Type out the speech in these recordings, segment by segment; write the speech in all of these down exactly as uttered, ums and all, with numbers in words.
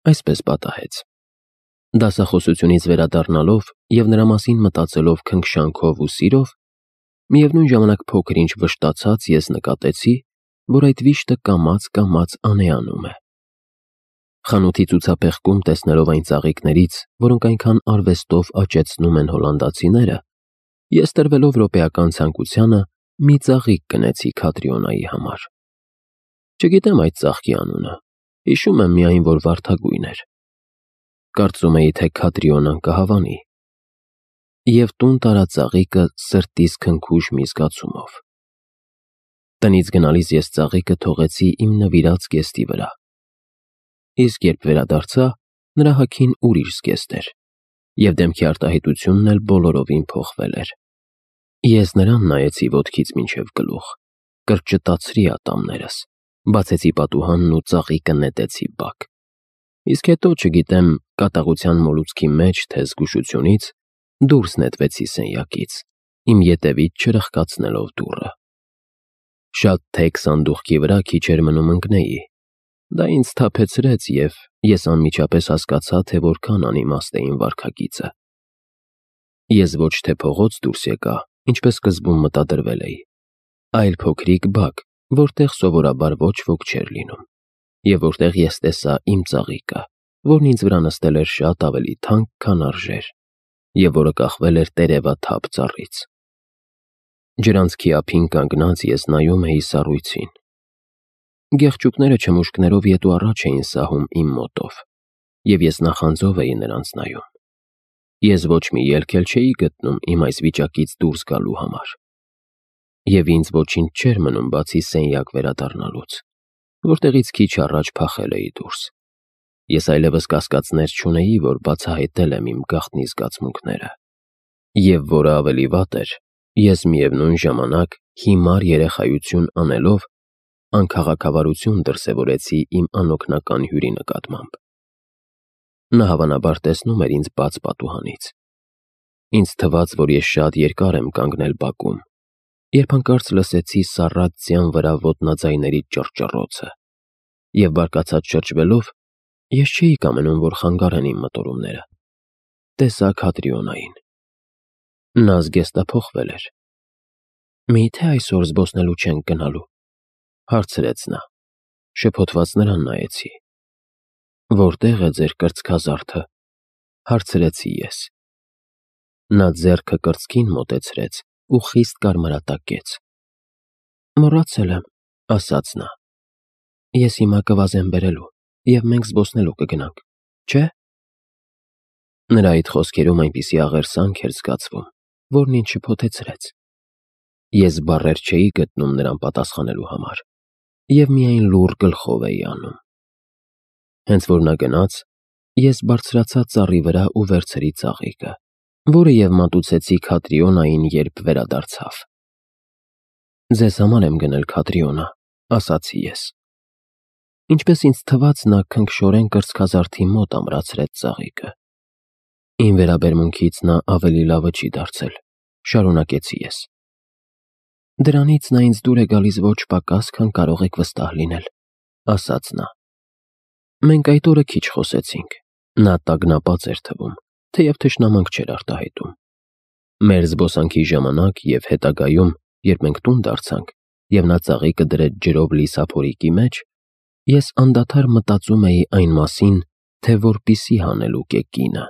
այսպես պատահեց։ Դասախոսությունից վերադառնալով և նրա մասին մտածելով քնքշանքով ու սիրով, միևնույն ժամանակ փոքր-ինչ վշտացած ես նկատեցի, որ այդ վիշտը կամաց-կամաց անեանում է։ Խանութի ցուցափեղկում տեսնելով այն ծաղիկներից, որոնք այնքան արվեստով աճեցնում են հոլանդացիները, ես տրվելով րոպեական ցանկությանը մի ծաղիկ կնեցի Քատրիոնայի համար։ Չգիտեմ այդ ծաղկի անունը, հիշում եմ միայն, որ վարդագույն էր։ Կարծում էի, թե Քատրիոնան կհավանի։ Եվ տուն տարա ծաղիկը սրտիս քնքուշ մի զգացումով։ Տնից գնալիս ես ծաղիկը թողեցի իմ նվիրած զգեստի վրա։ Իսկ երբ վերադարձա, նրա հագին ուրիշ զգեստ էր, և դեմքի արտահայտությունն էլ բոլորովին փոխվել էր։ Ես նրան նայեցի ոտքից մինչև գլուխ, կրճտացրի ատամներս, բացեցի պատուհանն ու ծաղիկը նետեցի բակ։ Իսկ հետո, չգիտեմ, կատաղության մոլուցքի մեջ, թե զգուշությունից, դուրս նետվեցի սենյակից, իմ ետևից չրխկացնելով դուռը։ Շատ թեք սանդուղքի վրա քիչ էր մնում ընկնեի։ Դա ինձ սթափեցրեց, և ես անմիջապես հասկացա, թե որքան անիմաստ է իմ վարքագիծը։ Ես ոչ թե փողոց դուրս եկա, ինչպես սկզբում մտադրվել էի, այլ փոքրիկ բակ, որտեղ սովորաբար ոչ ոք չէր լինում, և որտեղ ես տեսա իմ ծաղիկը, որն ինձ վրա նստել էր շատ ավելի թանկ, քան արժեր, և որը կախվել էր տերևաթափ ծառից։ Ջրանցքի ափին կանգնած ես նայում էի սառույցին։ Գեղչուկները չմուշկներով ետ ու առաջ էին սահում իմ մոտով, և ես նախանձով էի նրանց նայում։ Ես ոչ մի ելք էլ չէի գտնում իմ այս վիճակից դուրս գալու համար։ Եվ ինձ ոչինչ չէր մնում բացի սենյակ վերադառնալուց, որտեղից քիչ առաջ փախել էի դուրս։ Ես այլևս կասկածներ չունեի, որ բացահայտել եմ իմ գաղտնի զգացմունքները։ Եվ որը ավելի վատ էր, ես միևնույն ժամանակ հիմար երեխայություն անելով, անքաղաքավարություն դրսևորեցի իմ անօգնական հյուրի նկատմամբ։ Նա հավանաբար տեսնում էր ինձ բաց պատուհանից։ Ինձ թվաց, որ ես շատ երկար եմ կանգնել բակում, երբ հանկարծ լսեցի սառած ձյան վրա ոտնաձայների ճռճռոցը, և բարկացած շրջվելով, ես չէի կամենում, որ խանգարեն իմ մտորումները, տեսա Քատրիոնային։ Նա զգեստափոխվել էր։ «Մի՞թե այսօր զբոսնելու չենք գնալու», հարցրեց նա։ Շփոթված նրան նայեցի։ «Որտե՞ղ է ձեր կրծքազարդը», հարցրեցի ես։ Նա ձեռքը կրծքին մոտեցրեց ու խիստ կարմրատակեց։ «Մոռացել եմ», ասաց նա։ «Ես հիմա կվազեմ բերելու, և մենք զբոսնելու կգնանք, չէ՞»։ Նրա այդ խոսքերում այնպիսի աղերսանք էր զգացվում, որն ինձ շփոթեցրեց։ Ես բառեր չէի գտնում նրան պատասխանելու համար, և միայն լուռ գլխով էի անում։ Հենց որ նա գնաց, ես բարձրացա ծառի վրա ու վերցրի ծաղիկը, որը և մատուցեցի Քատրիոնային, երբ վերադարձավ։ «Ձեզ համար եմ գնել, Քատրիոնա», ասացի ես։ Ինչպես ինձ թվաց, նա քնքշորեն կրծքազարդի մոտ ամրացրեց ծաղիկը։ Իմ վերաբերմունքից նա ավելի լավը չի դարձել, շարունակեցի ես։ «Դրանից նա ինձ դուր է գալիս ոչ պակաս, քան կարող եք վստահ լինել», ասաց նա։ Մենք այդ օրը քիչ խոսեցինք։ Նա տագնապած էր թվում, թեև թշնամանք չէր արտահայտում։ Մեր զբոսանքի ժամանակ և հետագայում, երբ մենք տուն դարձանք, և նա ծաղիկը դրեց ջրով լի սափորիկի մեջ, ես անդադար մտածում էի այն մասին, թե որպիսի հանելուկ է կինը։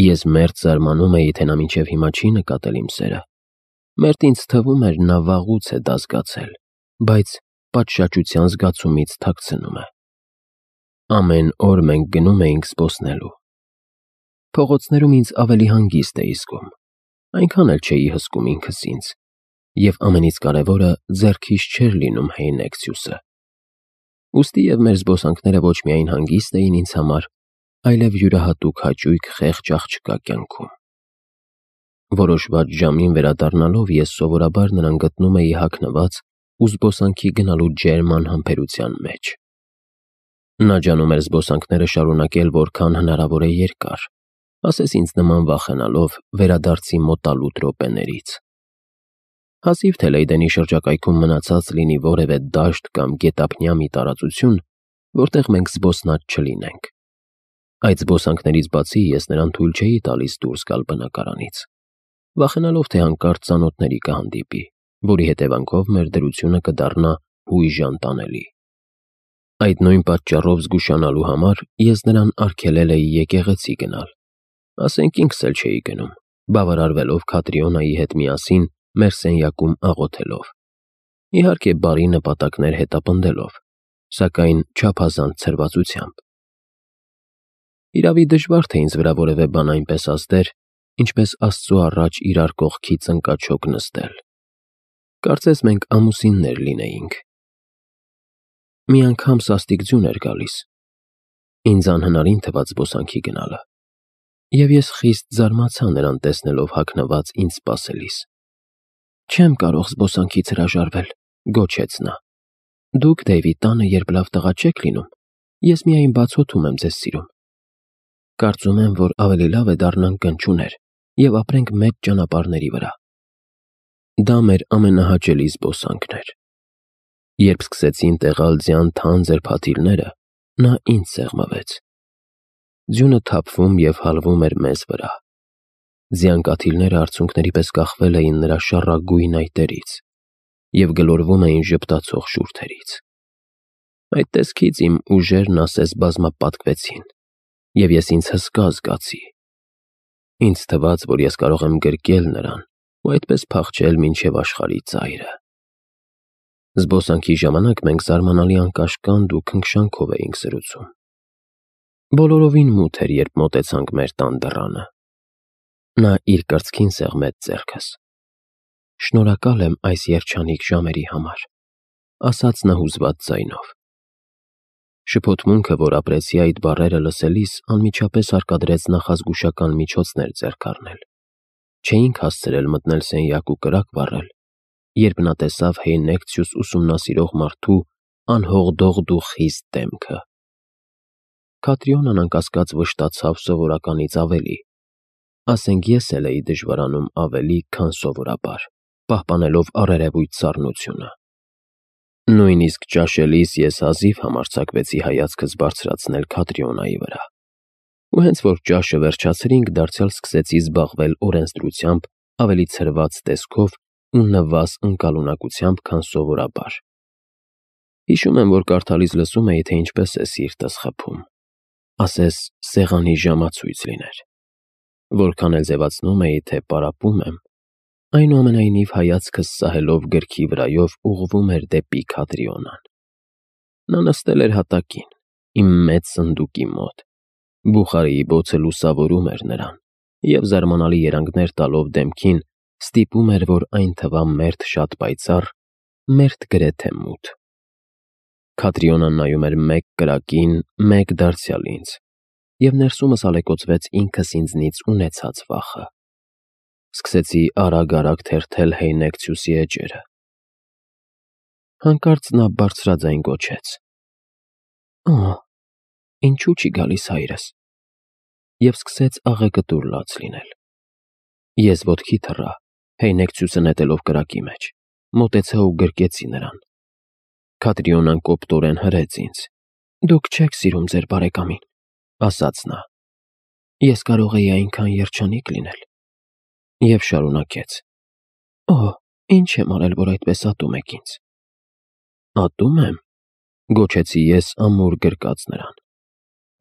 Ես մերթ զարմանում էի, թե նա մինչև հիմա չի նկատել իմ սերը։ Մերթ ինձ թվում էր, նա վաղուց է դա զգացել, բայց պատշաճության զգացումից թաքցնում է։ Ամեն օր մենք գնում էինք զբոսնելու։ Փողոցներում ինձ ավելի հանգիստ էի զգում, այնքան էլ չէի հսկում ինքս ինձ, և ամենից կարևորը, ձեռքիս չէր լինում Հեյնեքսյուսը։ Ուստի և մեր զբոսանքները ոչ միայն հանգիստ էին ինձ համար, այլև յուրահատուկ հաճույք խեղճ աղջկա կյանքում։ Որոշված ժամին վերադառնալով ես սովորաբար նրան գտնում էի հագնված ու զբոսանքի գնալու ջերմ անհամբերության մեջ։ Նա ջանում էր զբոսանքները շարունակել որքան հնարավոր է երկար, ասես ինձ նման վախենալով վերադարձի մոտալուտ րոպեներից։ Հազիվ թե Լեյդենի շրջակայքում մնացած լինի որևէ դաշտ կամ գետափնյա մի տարածություն, որտեղ մենք զբոսնած չլինենք։ Այդ զբոսանքներից բացի ես նրան թույլ չէի տալիս դուրս գալ բնակարանից, վախենալով, թե հանկարծ ծանոթների կհանդիպի, որի հետևանքով մեր դրությունը կդառնա հույժան տանելի։ Այդ նույն պատճառով զգուշանալու համար ես նրան արգելել էի եկեղեցի գնալ, ասենք ինքս էլ չէի գնում, բավարարվելով Քատրիոնայի հետ միասին մեր սենյակում աղոթելով, իհարկե բարի նպատակներ հետապնդելով, սակայն չափազանց ցրվածությամբ։ Իրավի դժվար թե ինձ վրա որևէ բան այնպես ազդեր, ինչպես Աստծու առաջ իրար կողքից ընկաչոք նստել։ Կարծես մենք ամուսիններ լինեինք։ Մի անգամ սաստիկ ձյուն էր գալիս, ինձ անհնարին թվաց զբոսանքի գնալը, և ես խիստ զարմացա նրան տեսնելով հագնված ինձ սպասելիս։ «Չեմ կարող զբոսանքից հրաժարվել», գոչեց նա։ «Դուք, Դեյվի, տանը երբ լավ տղա չեք լինում, ես միայն բացոթում եմ ձեզ սիրում։ Կարծում եմ, որ ավելի լավ է դառնանք գնչուներ և ապրենք մեծ ճանապարհների վրա»։ Դա մեր ամենահաճելի զբոսանքն էր։ Երբ սկսեցին տեղալ ձյան թանձր փաթիլները, նա ինձ սեղմվեց։ Ձյունը թափվում և հալվում էր մեզ վրա։ Ձյան կաթիլները արցունքների պես կախվել էին նրա շառագույն այտերից և գլորվում էին ժպտացող շուրթերից։ Այդ տեսքից իմ ուժերն ասես բազմապատկվեցին, և ես ինձ հսկա զգացի։ Ինձ թվաց, որ ես կարող եմ գրկել նրան ու այդպես փախչել մինչև աշխարհի ծայրը։ Զբոսանքի ժամանակ մենք զարմանալի անկաշկանդ ու քնքշանքով էինք զրուցում։ Բոլորովին մութ էր, երբ մոտեցանք մեր տան դռանը։ Նա իր կրծքին սեղմեց ձեռքս։ «Շնորհակալ եմ այս երջանիկ ժամերի համար», ասաց նա հուզված ձայնով։ Շփոթմունքը, որ ապրեցի այդ բառերը լսելիս, անմիջապես հարկադրեց նախազգուշական միջոցներ ձեռք առնել։ Չէինք հասցրել մտնել սենյակ ու կրակ վառել, երբ նա տեսավ Հեյնեկցյուս ուսումնասիրող մարդու անհողդողդ ու խիստ դեմքը։ Քատրիոնան անկասկած վշտացավ սովորականից ավելի, ասենք ես էլ էի դժվարանում ավելի, քան սովորաբար, պահպանելով առերևույթ սառնությունը։ Նույնիսկ ճաշելիս ես հազիվ համարձակվեցի հայացքս բարձրացնել Քատրիոնայի վրա, ու հենց որ ճաշը վերջացրինք, դարձյալ սկսեցի զբաղվել օրենսդրությամբ ավելի ցրված տեսքով ու նվազ ընկալունակությամբ, քան սովորաբար։ Հիշում եմ, որ կարդալիս լսում էի, թե ինչպես է սիրտս խփում, ասես սեղանի ժամացույց լիներ։ Որքան էլ ձևացնում էի, թե պարապում եմ, այնուամենայնիվ հայացքս սահելով գրքի վրայով ուղղվում էր դեպի Քատրիոնան։ Նա նստել էր հատակին, իմ մեծ սնդուկի մոտ, բուխարիի բոցը լուսավորում էր նրան, և զարմանալի երանգներ տալով դեմքին, ստիպում էր, որ այն թվա մերթ շատ պայծառ, մերթ գրեթե մութ։ Քատրիոնան նայում էր մեկ կրակին, մեկ դարձյալ ինձ, և ներսումս ալեկոծվեց ինքս ինձնից ունեցած վախը։ Սկսեցի արագ-արագ թերթել Հեյնեկցյուսի էջերը։ Հանկարծ նա բարձրաձայն գոչեց. «Օ՜, ինչու՞ չի գալիս հայրս», և սկսեց աղեգտուր լաց լինել։ Ես ոտքի թռա, Հեյնեկցյուսը նետելով կրակի մեջ, մոտեցա ու գրկեցի նրան։ Քատրիոնան կոպտորեն հրեց ինձ։ «Դուք չեք սիրում ձեր բարեկամին», ասաց նա։ Ես կարող էի այնքան երջանիկ լինել։ Եվ շարունակեց. «Օ, ինչ եմ արել, որ այդպես ատում եք ինձ»։ «Ատում եմ», գոչեցի ես ամուր գրկած նրան։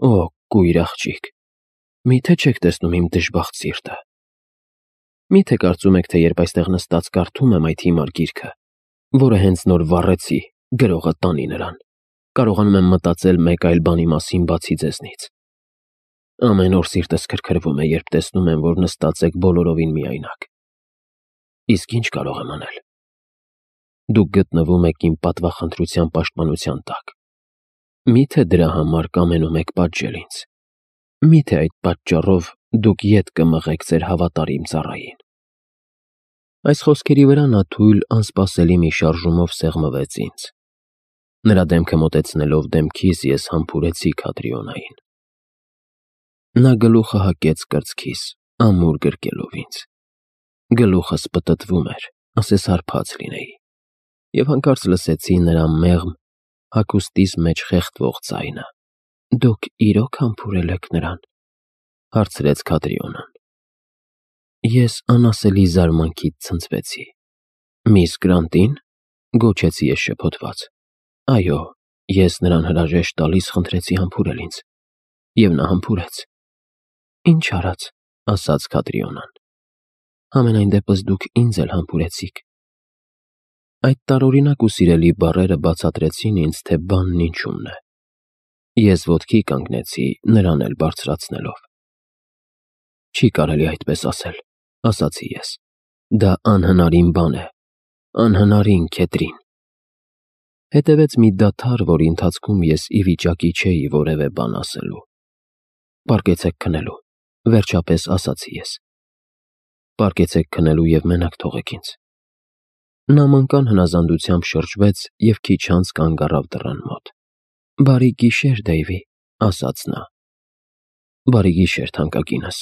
«Օ, կույր աղջիկ, մի՞թե չեք տեսնում իմ դժբախտ սիրտը։ Մի՞թե կարծում եք, թե երբ այստեղ նստած կարդում եմ այդ հիմար գիրքը, որը հենց նոր վառեցի, գրողը տանի նրան, կարողանում եմ մտածել մեկ այլ բանի մասին բացի ձեզնից։ Ամեն օր սիրտս քրքրվում է, երբ տեսնում եմ, որ նստած եք բոլորովին միայնակ։ Իսկ ինչ կարող եմ անել։ Դուք գտնվում եք իմ պատվախնդրության պաշտպանության տակ։ Մի՞թե դրա համար կամենում եք պատժել ինձ։ Մի՞թե այդ պատճառով դուք ետ կմղեք ձեր հավատարիմ ծառային»։ Այս խոսքերի վրա նա թույլ, անսպասելի մի շարժումով սեղմվեց ինձ։ Նրա դեմքը մոտեցնելով դեմքիս, ես համբուրեցի Քատրիոնային։ Նա գլուխը հակեց կրծքիս, ամուր գրկելով ինձ։ Գլուխս պտտվում էր, ասես հարբած լինեի, և հանկարծ լսեցի նրա մեղմ, հագուստիս մեջ խեղդվող ձայնը. Դուք իրոք համբուրել եք նրան, հարցրեց Քադրիոնան։ Ես անասելի զարմանքից ցնցվեցի։ Միս Գրանտին, գոչեցի ես շփոթված։ Այո, ես նրան հրաժեշտ տալիս խնդրեցի համբուրել ինձ, և նա համբուրեց։ Ինչ արած, ասաց Քադրիոնան։ Համենայն դեպս դուք ինձ էլ համբուրեցիք։ Այդ տարօրինակ ու սիրելի բառերը բացատրեցին ինձ, թե բանն ինչումն է։ Ես ոտքի կանգնեցի, նրան էլ բարձրացնելով։ Չի կարելի այդպես ասել, ասացի ես։ Դա անհնարին բան է, անհնարին, Քեթրին։ Հետևեց մի դադար, որի ընթացքում ես ի վիճակի չէի որևէ բան ասելու։ Պառկեցեք քնելու, վերջապես ասացի ես։ Պառկեցեք քնելու և մենակ թողեք ինձ։ Նա մանկան հնազանդությամբ շրջվեց և քիչ անց կանգ առավ դռան մոտ։ Բարի գիշեր, Դեյվի, ասաց նա։ Բարի գիշեր, թանկագինս,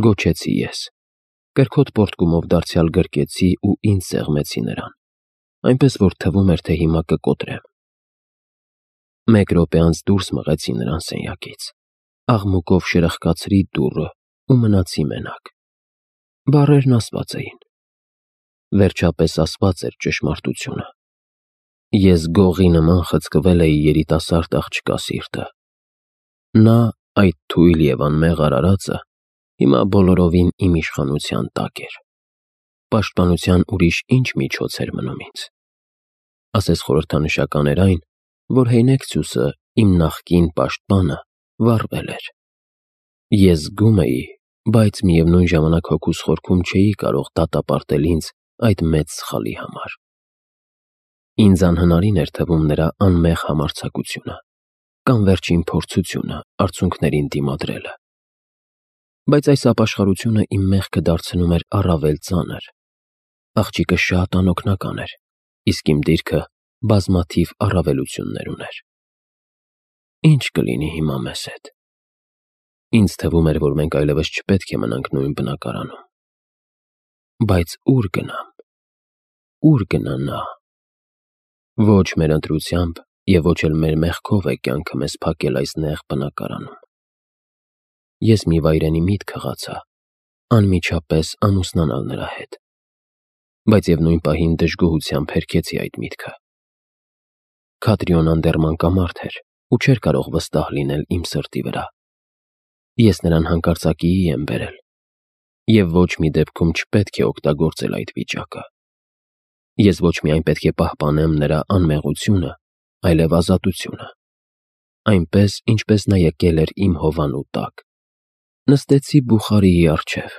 գոչեցի ես։ Կրքոտ պոռթկումով դարձյալ գրկեցի ու ինձ սեղմեցի նրան, այնպես որ թվում էր, թե հիմա կկոտրեմ։ Մեկ րոպե անց դուրս մղեցի նրան սենյակից, աղմուկով շրխկացրի դուռը ու մնացի մենակ։ Բառերն ասված էին։ Վերջապես ասված էր ճշմարտությունը։ Ես գողի նման խցկվել էի երիտասարդ աղջկա սիրտը։ Նա, այդ թույլ և անմեղ արարածը, հիմա բոլորովին իմ իշխանության տակ էր։ Պաշտպանության ուրիշ ինչ միջոց էր մնում ինձ։ Ասես խորհրդանշական էր այն, որ Հեյնեքսյուսը, իմ նախկին պաշտպանը, վառվել էր։ Ես զգում էի, բայց միևնույն ժամանակ հոգուս խորքում չէի կարող դատապարտել ինձ այդ մեծ սխալի համար։ Ինձ անհնարին էր թվում նրա անմեղ համարձակությունը կամ վերջին փորձությունը արցունքներին դիմադրելը։ Բայց այս ապաշխարությունը իմ մեղքը դարձնում էր առավել ծանր։ Աղջիկը շատ անօգնական էր, իսկ իմ դիրքը բազմաթիվ առավելություններ ուներ։ Ինչ կլինի հիմա մեզ հետ։ Ինձ թվում էր, որ մենք այլևս չպետք է մնանք նույն բնակարանում։ Բայց ո՞ւր գնամ։ Ո՞ւր գնա նա։ Ոչ մեր ընտրությամբ և ոչ էլ մեր մեղքով է կյանքը մեզ փակել այս նեղ բնակարանում։ Ես մի վայրենի միտք հղացա, անմիջապես ամուսնանալ նրա հետ, բայց և նույն պահին դժգոհությամբ հերքեցի այդ միտքը։ Քադրիոնան դեռ մանկամարդ էր ու չէր կարող վստահ լինել իմ սրտի վրա։ Ես նրան հանկարծակիի եմ բերել, և ոչ մի դեպքում չպետք է օգտագործել այդ վիճակը։ Ես ոչ միայն պետք է պահպանեմ նրա անմեղությունը, այլև ազատությունը։ Այնպես, ինչպես նա եկել էր իմ հովանու տակ։ Նստեցի բուխարիի առջև,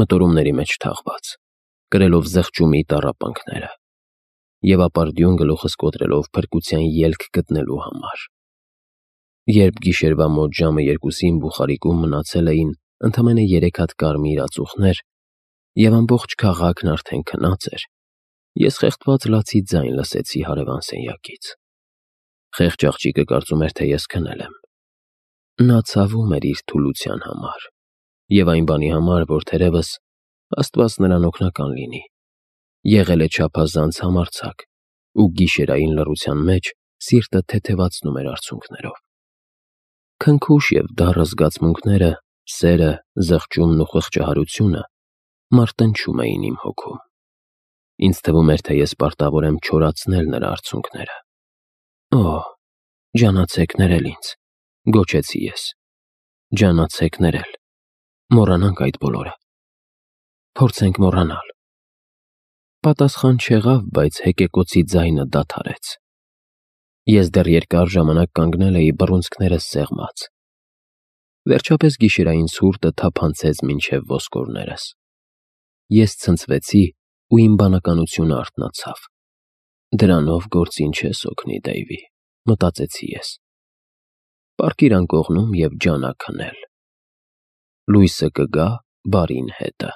մտորումների մեջ թաղված, կրելով զղջումի տառապանքները և ապարդյուն գլուխս կոտրելով փրկության ելք գտնելու համար։ Երբ գիշերվա մոտ ժամը երկուսին բուխարիկում մնացել էին ընդամենը երեք հատ կարմիր ածուխներ, և ամբողջ քաղաքն արդեն քնած էր, ես խեղդված լացի ձայն լսեցի հարևան սենյակից։ Խեղճ աղջիկը կարծում էր, թե ես քնել եմ։ Նա ցավում էր իր թուլության համար և այն բանի համար, որ թերևս, Աստված նրան օգնական լինի, եղել է չափազանց համարձակ ու գիշերային լռության մեջ սիրտը թեթևացնում էր արցունքներով։ Քնքուշ և դառը զգացմունքները, սերը, զղջումն ու խղճահարությունը մարտնչում էին իմ հոգում։ Ինձ թվում էր, թե ես պարտավոր եմ չորացնել նրա արցունքները։ Օ՜, ջանացեք ներել ինձ, գոչեցի ես։ Ջանացեք ներել։ Մոռանանք այդ բոլորը։ Փորձենք մոռանալ։ Պատասխան չեղավ, բայց հեկեկոցի ձայնը դադարեց։ Ես դեռ երկար ժամանակ կանգնել էի բռունցքներս սեղմած։ Վերջապես գիշերային ցուրտը թափանցեց մինչև ոսկորներս։ Ես ցնցվեցի ու իմ բանականությունը արթնացավ։ Դրանով գործին չես օգնի, Դեյվի, մտածեցի ես։ Պառկիր անկողնում և ջանա քնել։ Լույսը կգա բարին հետը։